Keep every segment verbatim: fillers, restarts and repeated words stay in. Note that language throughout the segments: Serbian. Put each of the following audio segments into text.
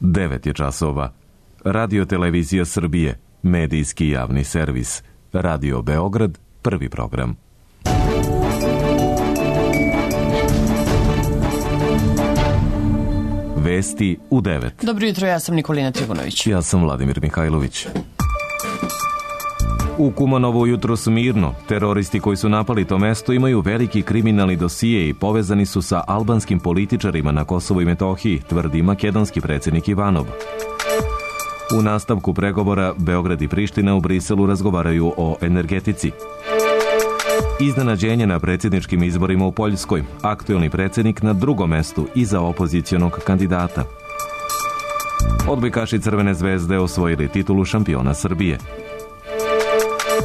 devet je časova. Radio Televizija Srbije, medijski javni servis. Radio Beograd, prvi program. Vesti u devet. Dobro jutro, ja sam Nikolina Trivunović. Ja sam Vladimir Mihajlović. U Kumanovu jutro su mirno. Teroristi koji su napali to mesto imaju veliki kriminalni dosije i povezani su sa albanskim političarima na Kosovu i Metohiji, tvrdi makedonski predsjednik Ivanov. U nastavku pregovora Beograd i Priština u Briselu razgovaraju o energetici. Iznenađenje na predsjedničkim izborima u Poljskoj. Aktuelni predsjednik na drugom mestu iza opozicionog kandidata. Odbojkaši Crvene zvezde osvojili titulu šampiona Srbije.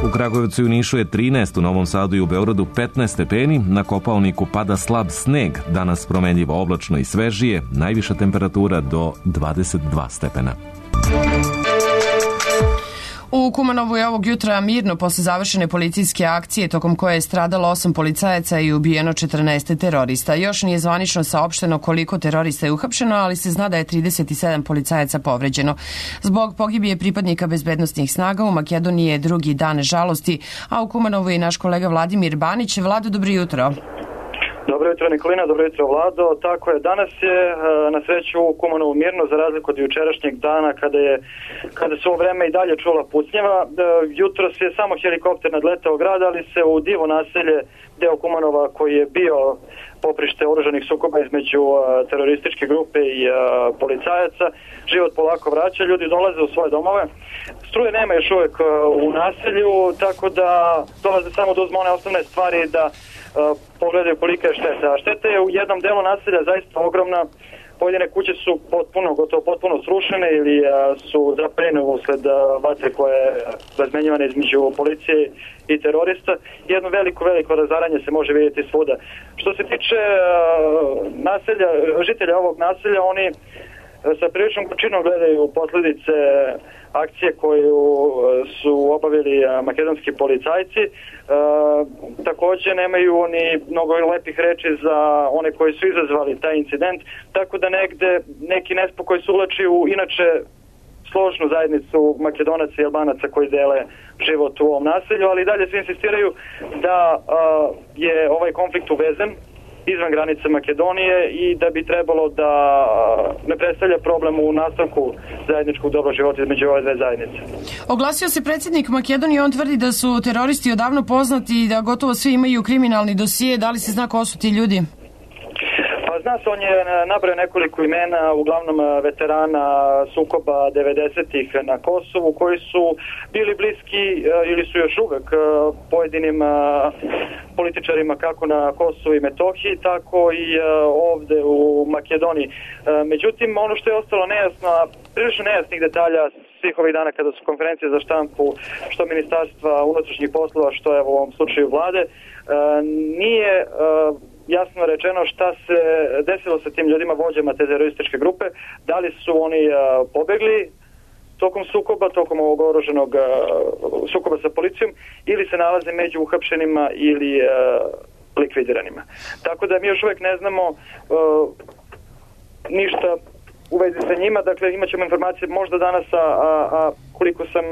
U Kragujevcu i u Nišu je trinaest, u Novom Sadu i u Beogradu petnaest stepeni, na Kopaoniku pada slab sneg, danas promenljivo oblačno i svežije, najviša temperatura do dvadeset dva stepena. U Kumanovu je ovog jutra mirno posle završene policijske akcije tokom koje je stradalo osam policajaca i ubijeno četrnaest terorista. Još nije zvanično saopšteno koliko terorista je uhapšeno, ali se zna da je trideset sedam policajaca povređeno. Zbog pogibije pripadnika bezbednostnih snaga u Makedoniji je drugi dan žalosti, a u Kumanovu je naš kolega Vladimir Banić. Vlado, dobro jutro. Dobro jutro Nikolina, dobro jutro Vlado. Tako je, danas je na sreću u Kumanovu mirno za razliku od jučerašnjeg dana kada je kada su ovo vreme i dalje čula pucnjeva. Jutros je samo helikopter nadletao grad, ali se u Divo naselje, deo Kumanova koji je bio poprište oružanih sukoba između terorističke grupe i policajaca, život polako vraća, ljudi dolaze u svoje domove. Struje nema još uvijek u naselju, tako da dolaze samo da uzme one osnovne stvari da pogledaju kolika je šteta. A šteta je u jednom delu naselja zaista ogromna. Pojedine kuće su potpuno, gotovo potpuno srušene ili su zapaljene usled vatre koje je razmenjivane između policije i terorista. Jedno veliko, veliko razaranje se može vidjeti svuda. Što se tiče naselja, žitelja ovog naselja, oni sa priličnom kućinom gledaju posljedice akcije koju su obavili makedonski policajci. E, također nemaju ni mnogo lepih reči za one koji su izazvali taj incident, tako da negde neki nespokoj se uvlači u inače složnu zajednicu Makedonaca i Albanaca koji dele život u ovom naselju, ali dalje se insistiraju da a, je ovaj konflikt uvezen izvan granice Makedonije i da bi trebalo da ne predstavlja problem u nastavku zajedničkog dobrog života između ove dve zajednice. Oglasio se predsjednik Makedonije, on tvrdi da su teroristi odavno poznati i da gotovo svi imaju kriminalni dosije. Da li se zna ko su ti ljudi? Pa zna se, on je nabrao nekoliko imena, uglavnom veterana sukoba devedesetih na Kosovu, koji su bili bliski ili su još uvek pojedinim političarima kako na Kosovu i Metohiji, tako i ovde u Makedoniji. Međutim, ono što je ostalo nejasno, a prilično nejasnih detalja svih ovih dana kada su konferencije za štampu, što Ministarstva unutrašnjih poslova, što je u ovom slučaju vlade, nije jasno rečeno šta se desilo sa tim ljudima, vođama te terorističke grupe, da li su oni pobegli tokom sukoba, tokom ovog oruženog sukoba sa policijom, ili se nalaze među uhapšenima ili likvidiranima. Tako da mi još uvijek ne znamo ništa u vezi sa njima, dakle imat ćemo informacije možda danas, a, a koliko sam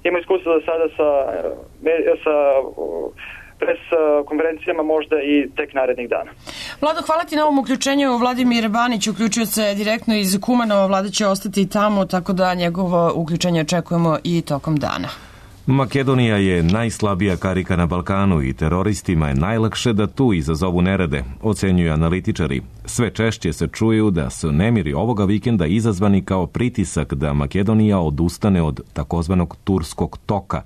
imao iskustva do sada sa, sa pres konferencijama, možda i tek narednih dana. Vlado, hvala ti na ovom uključenju. Vladimir Banić uključio se direktno iz Kumanova. Vlada će ostati tamo, tako da njegovo uključenje očekujemo i tokom dana. Makedonija je najslabija karika na Balkanu i teroristima je najlakše da tu izazovu nerede, ocenjuju analitičari. Sve češće se čuju da su nemiri ovoga vikenda izazvani kao pritisak da Makedonija odustane od takozvanog turskog toka.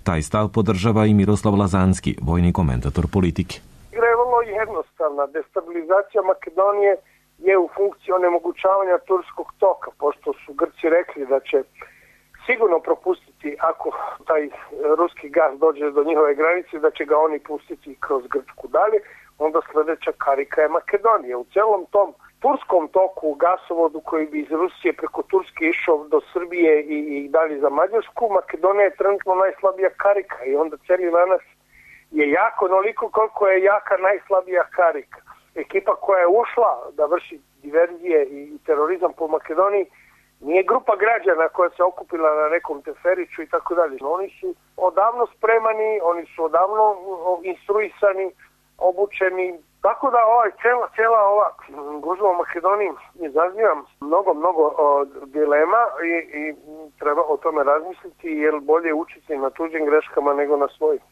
Taj stav podržava i Miroslav Lazanski, vojni komentator politike. Igra je vrlo jednostavna. Destabilizacija Makedonije je u funkciji onemogućavanja turskog toka, pošto su Grci rekli da će sigurno propustiti, ako taj ruski gas dođe do njihove granice, da će ga oni pustiti kroz Grčku dalje, onda sljedeća karika je Makedonija. U celom tom turskom toku, gasovodu koji bi iz Rusije preko Turske išao do Srbije i, i dalje za Mađarsku, Makedonija je trenutno najslabija karika i onda cijeli danas je jako onoliko koliko je jaka najslabija karika. ekipa koja je ušla da vrši diverzije i terorizam po Makedoniji nije grupa građana koja se okupila na nekom teferiću i tako dalje. Oni su odavno spremani, oni su odavno instruisani, obučeni. Tako da ovaj cela, cela ova gužva u Makedoniji izaziva mnogo, mnogo o, dilema i, i treba o tome razmisliti, jer bolje učiti na tuđim greškama nego na svojim.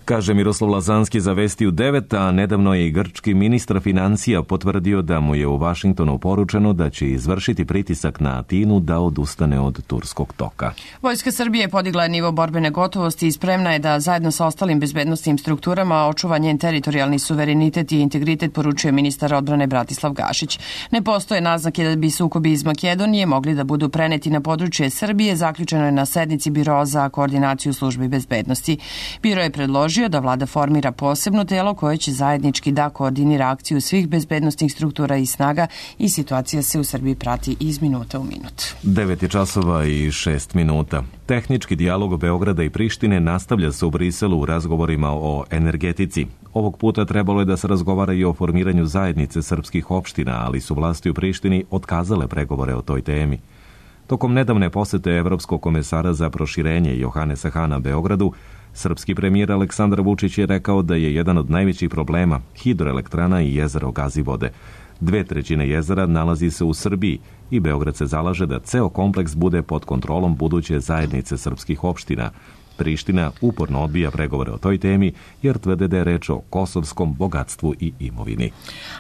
Kaže Miroslav Lazanski za Vesti u devet, a nedavno je i grčki ministar financija potvrdio da mu je u Vašingtonu poručeno da će izvršiti pritisak na Atinu da odustane od turskog toka. Vojska Srbije podigla je nivo borbene gotovosti i spremna je da zajedno sa ostalim bezbednosnim strukturama očuva njen teritorijalni suverenitet i integritet, poručuje ministar odbrane Bratislav Gašić. Ne postoje naznake da bi sukobi iz Makedonije mogli da budu preneti na područje Srbije, zaključeno je na sednici Biroa za koordinaciju službi bezbednosti. Biro je predložio da vlada formira posebno telo koje će zajednički da koordinira akciju svih bezbednostnih struktura i snaga i situacija se u Srbiji prati iz minuta u minut. devet je časova i šest minuta. Tehnički dijalog Beograda i Prištine nastavlja se u Briselu u razgovorima o energetici. Ovog puta trebalo je da se razgovara i o formiranju zajednice srpskih opština, ali su vlasti u Prištini otkazale pregovore o toj temi. Tokom nedavne posete Evropskog komesara za proširenje Johanesa Hana Beogradu, srpski premijer Aleksandar Vučić je rekao da je jedan od najvećih problema hidroelektrana i jezero Gazivode. Dve trećine jezera nalazi se u Srbiji i Beograd se zalaže da ceo kompleks bude pod kontrolom buduće zajednice srpskih opština. Priština uporno odbija pregovore o toj temi jer tvrde da je reč o kosovskom bogatstvu i imovini.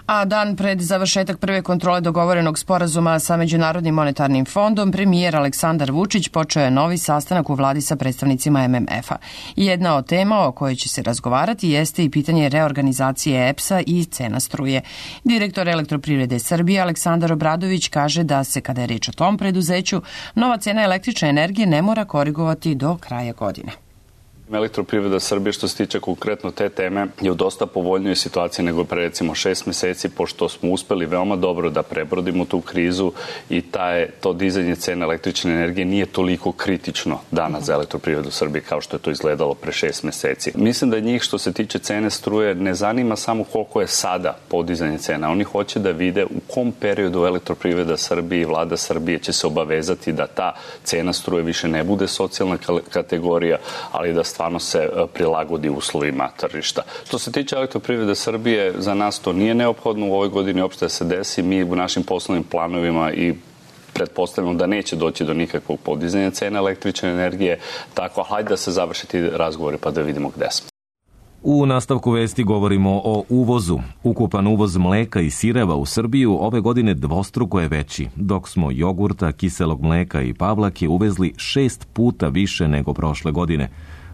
A dan pred završetak prve kontrole dogovorenog sporazuma sa Međunarodnim monetarnim fondom, premijer Aleksandar Vučić počeo je novi sastanak u vladi sa predstavnicima M M F-a. Jedna od tema o kojoj će se razgovarati jeste i pitanje reorganizacije E P S-a i cena struje. Direktor Elektroprivrede Srbije Aleksandar Obradović kaže da se, kada je reč o tom preduzeću, nova cena električne energije ne mora korigovati do kraja godine. Elektroprivreda Srbije, što se tiče konkretno te teme, je u dosta povoljnoj situaciji nego pre recimo šest meseci, pošto smo uspeli veoma dobro da prebrodimo tu krizu i taj, to dizanje cena električne energije nije toliko kritično danas za Elektroprivredu Srbije kao što je to izgledalo pre šest meseci. Mislim da njih, što se tiče cene struje, ne zanima samo koliko je sada podizanje cena. Oni hoće da vide u kom periodu Elektroprivreda Srbije i vlada Srbije će se obavezati da ta cena struje više ne bude socijalna kategorija, ali da stvarno se prilagodi uslovima tržišta. Što se tiče Elektroprivrede Srbije, za nas to nije neophodno u ovoj godini uopšte da se desi. Mi u našim poslovnim planovima i pretpostavljamo da neće doći do nikakvog podizanja cena električne energije, tako hajde da se završi ti razgovori pa da vidimo gde smo. U nastavku vesti govorimo o uvozu. Ukupan uvoz mleka i sireva u Srbiju ove godine dvostruko je veći, dok smo jogurta, kiselog mleka i pavlake uvezli šest puta više nego prošle godine.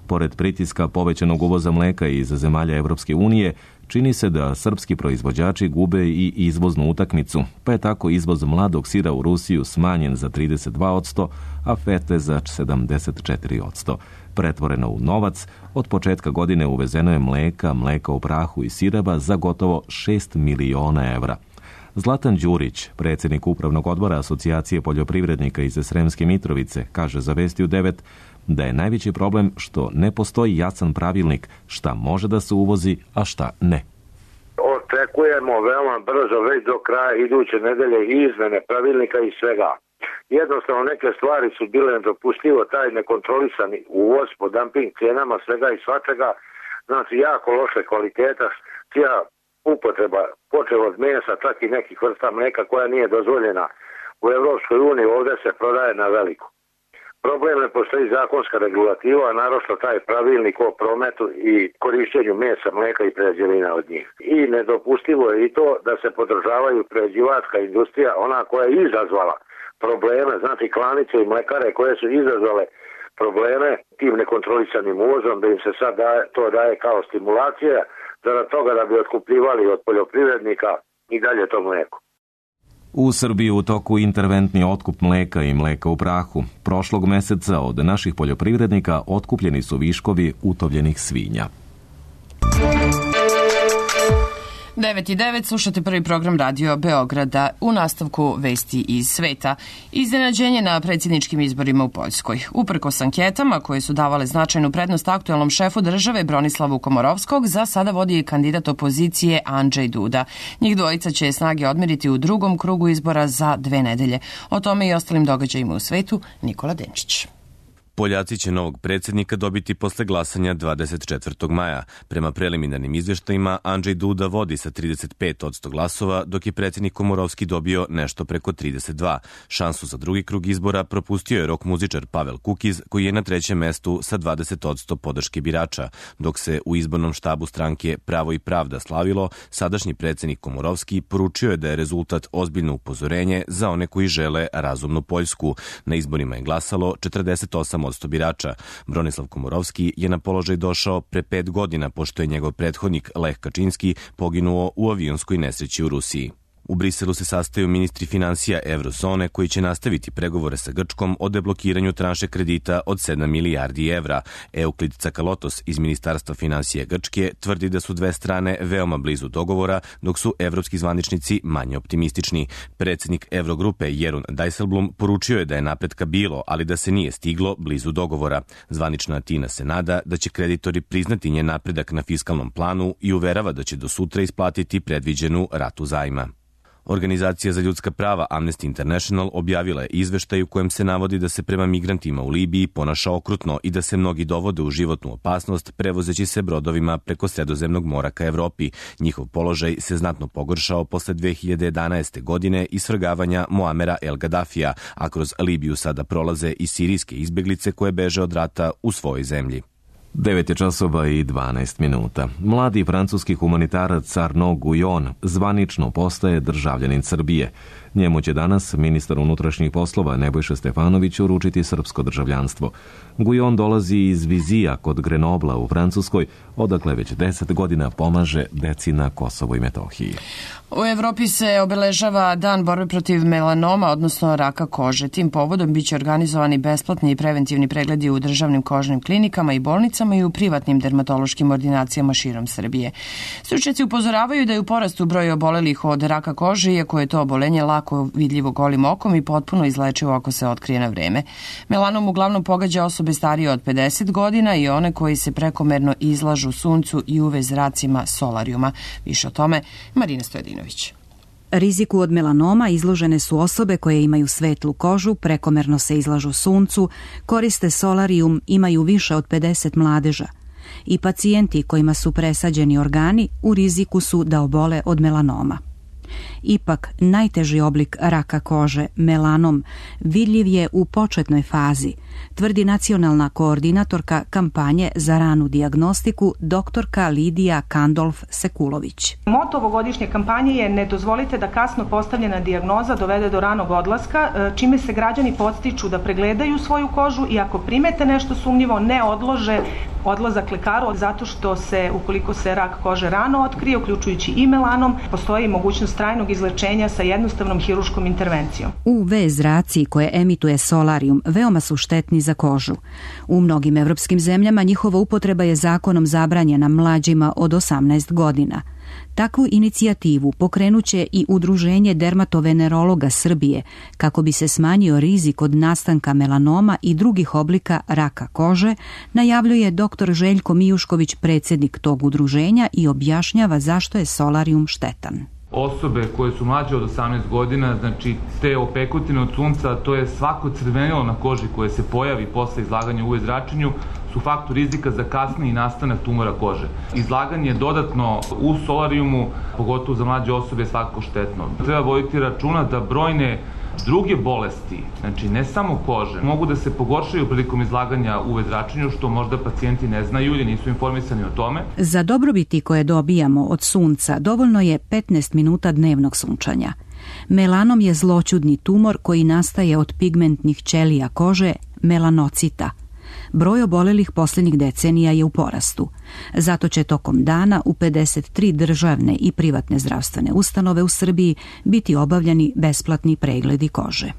Pored pritiska povećanog uvoza mleka iz zemalja Evropske unije, čini se da srpski proizvođači gube i izvoznu utakmicu, pa je tako izvoz mladog sira u Rusiju smanjen za trideset dva posto, a fete za sedamdeset četiri posto. Pretvoreno u novac, od početka godine uvezeno je mleka, mleka u prahu i sireva za gotovo šest miliona evra. Zlatan Đurić, predsjednik upravnog odbora Asocijacije poljoprivrednika iz Sremske Mitrovice, kaže za Vesti u devet da je najveći problem što ne postoji jasan pravilnik šta može da se uvozi, a šta ne. Očekujemo veoma brzo, već do kraja iduće nedelje, izmene pravilnika i svega. Jednostavno neke stvari su bile nedopustivo, taj nekontrolisani uvoz po dumping cijenama svega i svačega, znači jako loše kvaliteta, cija upotreba, počeo od mesa, čak i nekih vrsta mleka koja nije dozvoljena u Evropskoj uniji, ovdje se prodaje na veliko. Problem ne postoji zakonska regulativa, a naročito taj pravilnik o prometu i korišćenju mesa, mleka i prerađevina od njih. I nedopustivo je i to da se podržavaju prerađivačka industrija, ona koja je izazvala probleme, znači klanice i mlekare koje su izazvale probleme tim nekontrolisanim uvozom, da im se sad daje, to daje kao stimulacija, zarad toga da bi otkupljivali od poljoprivrednika i dalje to mleko. U Srbiji u toku interventni otkup mleka i mleka u prahu. Prošlog meseca od naših poljoprivrednika otkupljeni su viškovi utovljenih svinja. devet i devet, slušate prvi program Radio Beograda. U nastavku vesti iz sveta. Iznenađenje na predsjedničkim izborima u Poljskoj. Uprkos anketama koje su davale značajnu prednost aktuelnom šefu države Bronislavu Komorovskog, za sada vodi kandidat opozicije Andrzej Duda. Njih dvojica će snage odmeriti u drugom krugu izbora za dve nedelje. O tome i ostalim događajima u svetu Nikola Denčić. Poljaci će novog predsjednika dobiti posle glasanja dvadeset četvrtog maja. Prema preliminarnim izvještajima, Andrzej Duda vodi sa trideset pet posto glasova, dok je predsjednik Komorovski dobio nešto preko trideset dva. Šansu za drugi krug izbora propustio je rok muzičar Pavel Kukiz, koji je na trećem mestu sa dvadeset posto podrške birača. Dok se u izbornom štabu stranke Pravo i pravda slavilo, sadašnji predsjednik Komorovski poručio je da je rezultat ozbiljno upozorenje za one koji žele razumnu Poljsku. Na izborima je glasalo četrdeset osam posto birača. Bronislav Komorovski je na položaj došao pre pet godina, pošto je njegov prethodnik Lech Kačinski poginuo u avionskoj nesreći u Rusiji. U Briselu se sastaju ministri finansija Eurozone koji će nastaviti pregovore sa Grčkom o deblokiranju tranše kredita od sedam milijardi evra. Euklid Cakalotos iz Ministarstva finansija Grčke tvrdi da su dve strane veoma blizu dogovora, dok su evropski zvaničnici manje optimistični. Predsjednik Evrogrupe Jeroen Dijsselbloem poručio je da je napretka bilo, ali da se nije stiglo blizu dogovora. Zvanična Atina se nada da će kreditori priznati njen napredak na fiskalnom planu i uverava da će do sutra isplatiti predviđenu ratu zajma. Organizacija za ljudska prava Amnesty International objavila je izveštaj u kojem se navodi da se prema migrantima u Libiji ponaša okrutno i da se mnogi dovode u životnu opasnost prevozeći se brodovima preko Sredozemnog mora ka Evropi. Njihov položaj se znatno pogoršao posle dve hiljade jedanaeste. godine i svrgavanja Muamera El Gaddafija, a kroz Libiju sada prolaze i sirijske izbeglice koje beže od rata u svojoj zemlji. devet je časova i dvanaest minuta. Mladi francuski humanitarac Arnaud Guyon zvanično postaje državljanin Srbije. Njemu će danas ministar unutrašnjih poslova Nebojša Stefanović uručiti srpsko državljanstvo. Guyon dolazi iz Vizija kod Grenobla u Francuskoj, odakle već deset godina pomaže deci na Kosovu i Metohiji. U Evropi se obeležava Dan borbe protiv melanoma, odnosno raka kože. Tim povodom biće organizovani besplatni i preventivni pregledi u državnim kožnim klinikama i bolnicama i u privatnim dermatološkim ordinacijama širom Srbije. Stručnjaci upozoravaju da je u porastu broj obolelih od raka kože, iako je to obolenje lako vidljivo golim okom i potpuno izlečivo ako se otkrije na vreme. Melanom uglavnom pogađa osobe starije od pedeset godina i one koji se prekomerno izlažu suncu i U V zracima solarijuma. Više o tome Marina Stojadinović. Riziku od melanoma izložene su osobe koje imaju svetlu kožu, prekomerno se izlažu suncu, koriste solarijum, imaju više od pedeset mladeža. I pacijenti kojima su presađeni organi u riziku su da obole od melanoma. Ipak, najteži oblik raka kože, melanom, vidljiv je u početnoj fazi, tvrdi nacionalna koordinatorka kampanje za ranu dijagnostiku doktorka Lidija Kandolf-Sekulović. Moto ovogodišnje kampanje je ne dozvolite da kasno postavljena dijagnoza dovede do ranog odlaska, čime se građani podstiču da pregledaju svoju kožu i ako primete nešto sumnjivo ne odlože odlazak lekaru, zato što se, ukoliko se rak kože rano otkrije, uključujući i melanom, postoji mogućnost trajnog izlečenja sa jednostavnom hiruškom intervencijom. U V zraci koje emituje solarijum veoma su štetni za kožu. U mnogim evropskim zemljama njihova upotreba je zakonom zabranjena mlađima od osamnaest godina. Takvu inicijativu pokrenuće i Udruženje dermatovenerologa Srbije kako bi se smanjio rizik od nastanka melanoma i drugih oblika raka kože, najavljuje doktor Željko Mijušković, predsjednik tog udruženja, i objašnjava zašto je solarijum štetan. Osobe koje su mlađe od osamnaest godina, znači te opekotine od sunca, to je svako crvenilo na koži koje se pojavi posle izlaganja U V zračenju, su faktor rizika za kasniji nastanak tumora kože. Izlaganje dodatno u solarijumu, pogotovo za mlađe osobe, je svakako štetno. Treba voditi računa da brojne druge bolesti, znači ne samo kože, mogu da se pogoršaju prilikom izlaganja U V zračenju, što možda pacijenti ne znaju ili nisu informisani o tome. Za dobrobiti koje dobijamo od sunca dovoljno je petnaest minuta dnevnog sunčanja. Melanom je zloćudni tumor koji nastaje od pigmentnih ćelija kože, melanocita. Broj obolelih posljednjih decenija je u porastu. Zato će tokom dana u pedeset tri državne i privatne zdravstvene ustanove u Srbiji biti obavljeni besplatni pregledi kože.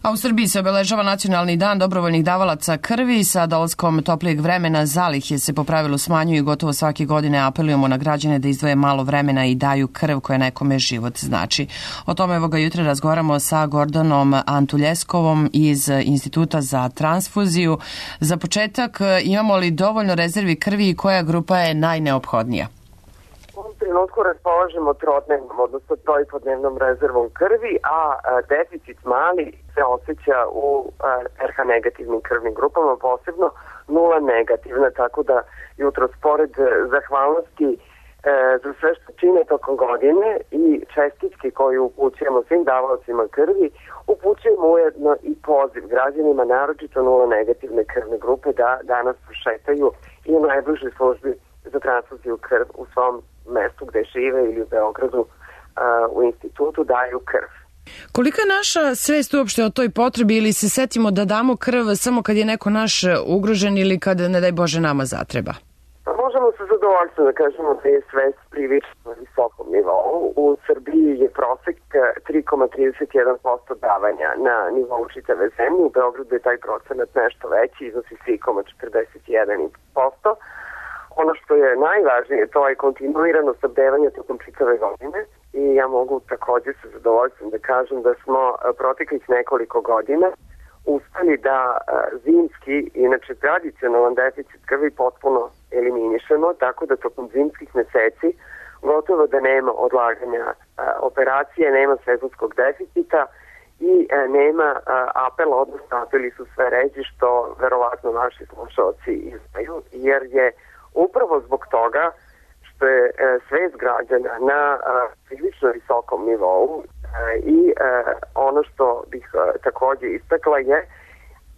A u Srbiji se obeležava Nacionalni dan dobrovoljnih davalaca krvi. Sa dolaskom toplijeg vremena zalihe se po pravilu smanjuju i gotovo svake godine apelujemo na građane da izdvoje malo vremena i daju krv koja nekome život znači. O tome evoga jutra razgovaramo sa Gordanom Antuljeskovom iz Instituta za transfuziju. Za početak, imamo li dovoljno rezervi krvi i koja grupa je najneophodnija? U ovom trenutku raspolažemo trodnevnom, odnosno trojpodnevnom rezervom krvi, a deficit mali se osjeća u er ha negativnim krvnim grupama, posebno nula negativna, tako da jutro spored zahvalnosti e, za sve što čine tokom godine i čestitke koje upućujemo svim davalcima krvi, upućujemo ujedno i poziv građanima, naročito nula negativne krvne grupe, da danas prošetaju i u najbližoj službi za transfuziju krv u svom mestu gde žive ili u Beogradu a, u institutu daju krv. Kolika je naša svest uopšte o toj potrebi ili se setimo da damo krv samo kad je neko naš ugrožen ili kad, ne daj Bože, nama zatreba? Pa možemo se zadovoljstvo da kažemo da je svest prilično visokom nivou. U Srbiji je prosek tri zarez trideset jedan posto davanja na nivou čitave zemlje. U Beogradu je taj procenat nešto veći, iznosi tri zarez četrdeset jedan posto. Ono što je najvažnije, to je kontinuirano snabdevanje tokom čitave godine i ja mogu također sa zadovoljstvom da kažem da smo proteklih nekoliko godina uspeli da zimski, inače tradicionalan deficit krvi potpuno eliminišemo, tako da tokom zimskih meseci gotovo da nema odlaganja operacije, nema sezonskog deficita i nema apela, odnosno apeli su sve ređi, što verovatno naši slušalci izdaju, jer je upravo zbog toga što je e, svest građana na e, prilično visokom nivou e, i e, ono što bih e, također istakla je,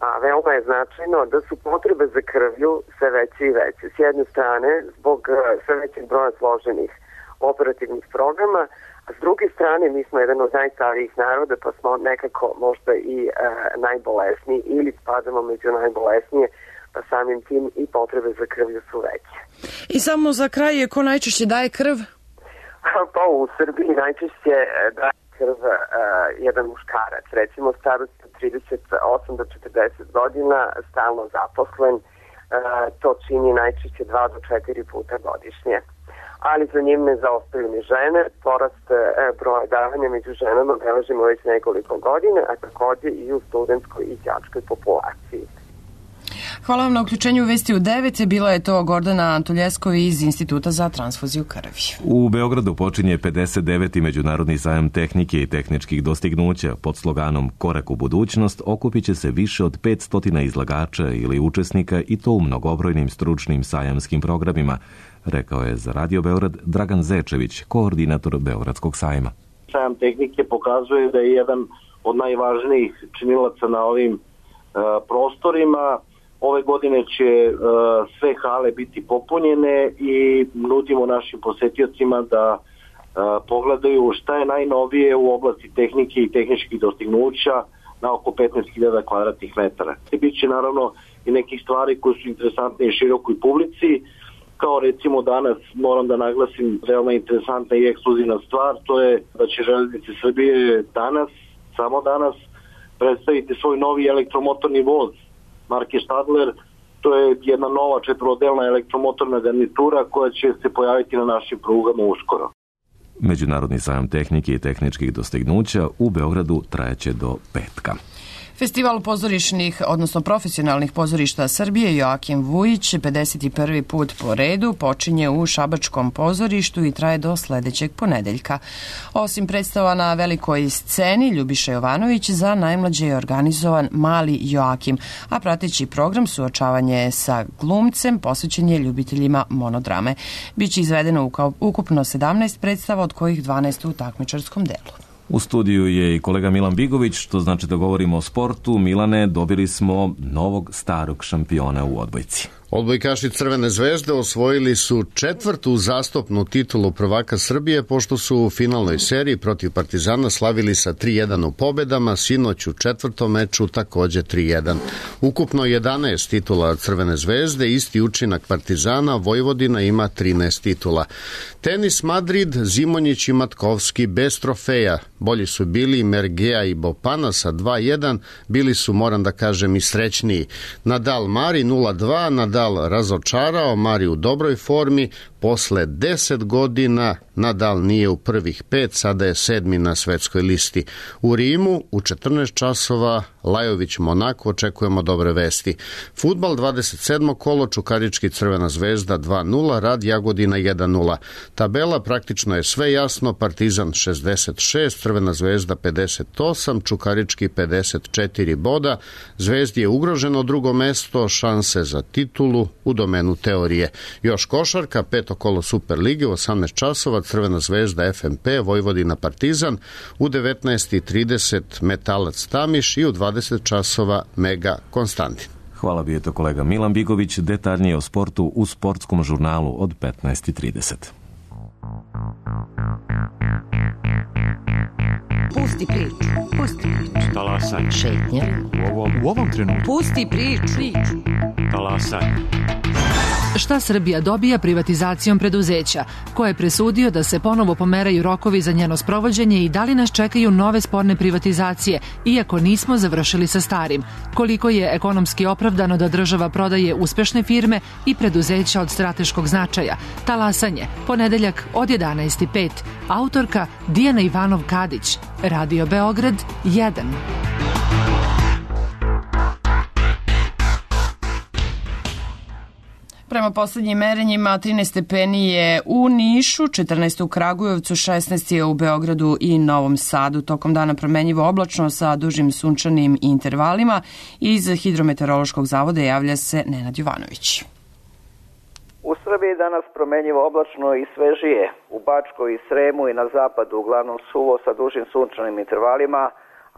a veoma je značajno, da su potrebe za krvlju sve veće i veće. S jedne strane, zbog e, sve većeg broja složenih operativnih programa, a s druge strane mi smo jedan od najstarijih naroda, pa smo nekako možda i e, najbolesniji ili spadamo među najbolesnije, pa samim tim i potrebe za krvlju su veće. I samo za kraj, ko najčešće daje krv? Pa u Srbiji najčešće daje krv uh, jedan muškarac, recimo starost od trideset osam do četrdeset godina, stalno zaposlen, uh, to čini najčešće dva do četiri puta godišnje. Ali za njim ne zaostaju ni žene, porast uh, broja davanja među ženama beležimo već nekoliko godina, a također i u studentskoj i đačkoj populaciji. Hvala vam na uključenju u Vesti u devet. Bila je to Gordana Antuljeskovi iz Instituta za transfuziju krvi. U Beogradu počinje pedeset deveti Međunarodni sajam tehnike i tehničkih dostignuća. Pod sloganom Korak u budućnost okupit će se više od petsto izlagača ili učesnika i to u mnogobrojnim stručnim sajamskim programima, rekao je za Radio Beograd Dragan Zečević, koordinator Beogradskog sajma. Sajam tehnike pokazuje da je jedan od najvažnijih činilaca na ovim uh, prostorima. Ove godine će uh, sve hale biti popunjene i nudimo našim posetiocima da uh, pogledaju šta je najnovije u oblasti tehnike i tehničkih dostignuća na oko petnaest hiljada kvadratnih metara. Biće naravno i nekih stvari koje su interesantne i širokoj publici, kao recimo danas moram da naglasim veoma interesantna i ekskluzivna stvar, to je da će Železnice Srbije danas, samo danas, predstaviti svoj novi elektromotorni voz marke Stadler. To je jedna nova četvorodelna elektromotorna garnitura koja će se pojaviti na našim prugama uskoro. Međunarodni sajam tehnike i tehničkih dostignuća u Beogradu trajeće do petka. Festival pozorišnih, odnosno profesionalnih pozorišta Srbije Joakim Vujić pedeset prvi put po redu počinje u Šabačkom pozorištu i traje do sledećeg ponedeljka. Osim predstava na velikoj sceni, Ljubiša Jovanović za najmlađe je organizovan Mali Joakim, a prateći program suočavanje sa glumcem posvećen je ljubiteljima monodrame. Biće izvedeno ukupno sedamnaest predstava, od kojih dvanaest u takmičarskom delu. U studiju je i kolega Milan Bigović, što znači da govorimo o sportu. Milane, dobili smo novog starog šampiona u odbojci. Odbojkaši Crvene zvezde osvojili su četvrtu uzastopnu titulu prvaka Srbije, pošto su u finalnoj seriji protiv Partizana slavili sa tri jedan u pobedama, sinoć u četvrtom meču takođe tri jedan. Ukupno jedanaest titula Crvene zvezde, isti učinak Partizana, Vojvodina ima trinaest titula. Tenis Madrid, Zimonjić i Matkovski bez trofeja. Bolji su bili Mergea i Bopana sa dva jedan, bili su, moram da kažem, i srećniji. Nadal Mari nula dva, Nadal razočarao, Mari u dobroj formi, posle deset godina Nadal nije u prvih pet, sada je sedmi na svetskoj listi. U Rimu u četrnaest časova Lajović Monako, očekujemo dobre vesti. Fudbal dvadeset sedmo kolo, Čukarički Crvena zvezda dva nula, Rad Jagodina jedan nula. Tabela praktično je sve jasno, Partizan šezdeset šest, Crvena zvezda pedeset osam, Čukarički pedeset četiri boda, Zvezdi je ugroženo drugo mesto, šanse za titulu u domenu teorije. Još košarka, peto kolo Superlige u osamnaest časova, Crvena zvezda F M P, Vojvodina Partizan, u devetnaest i trideset Metalac Tamiš i u dvadeset časova Mega Konstantin. Hvala bi je to kolega Milan Bigović, detaljnije o sportu u sportskom žurnalu od petnaest i trideset. Pusti priču, pusti priču. Talasaj. Šetnja. U ovom, u ovom trenutku. Pusti priču. priču. Talasaj. Šta Srbija dobija privatizacijom preduzeća? Ko je presudio da se ponovo pomeraju rokovi za njeno sprovođenje i da li nas čekaju nove sporne privatizacije, iako nismo završili sa starim? Koliko je ekonomski opravdano da država prodaje uspešne firme i preduzeća od strateškog značaja? Talasanje, ponedeljak od jedanaest i pet. Autorka Dijana Ivanov-Kadić. Radio Beograd jedan. Prema poslednjim merenjima trinaest stepeni je u Nišu, četrnaest u Kragujevcu, šesnaest je u Beogradu i Novom Sadu. Tokom dana promenjivo oblačno sa dužim sunčanim intervalima. Iz Hidrometeorološkog zavoda javlja se Nenad Jovanović. U Srbiji danas promenjivo oblačno i svežije. U Bačkoj i Sremu i na zapadu uglavnom suvo sa dužim sunčanim intervalima,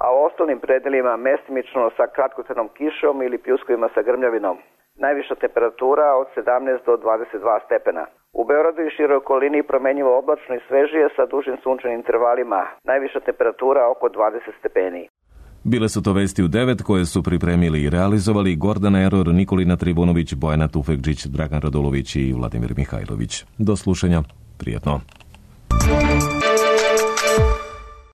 a u ostalim predelima mestimično sa kratkotrajnom kišom ili pljuskovima sa grmljavinom. Najviša temperatura od sedamnaest do dvadeset dva stepena. U Beogradu i široj okolini promenjivo oblačno i svežije sa dužim sunčanim intervalima. Najviša temperatura oko dvadeset stepeni. Bile su to vesti u devet koje su pripremili i realizovali Gordana Eror, Nikolina Tribunović, Bojana Tufekđić, Dragan Radulović i Vladimir Mihajlović. Do slušanja. Prijetno.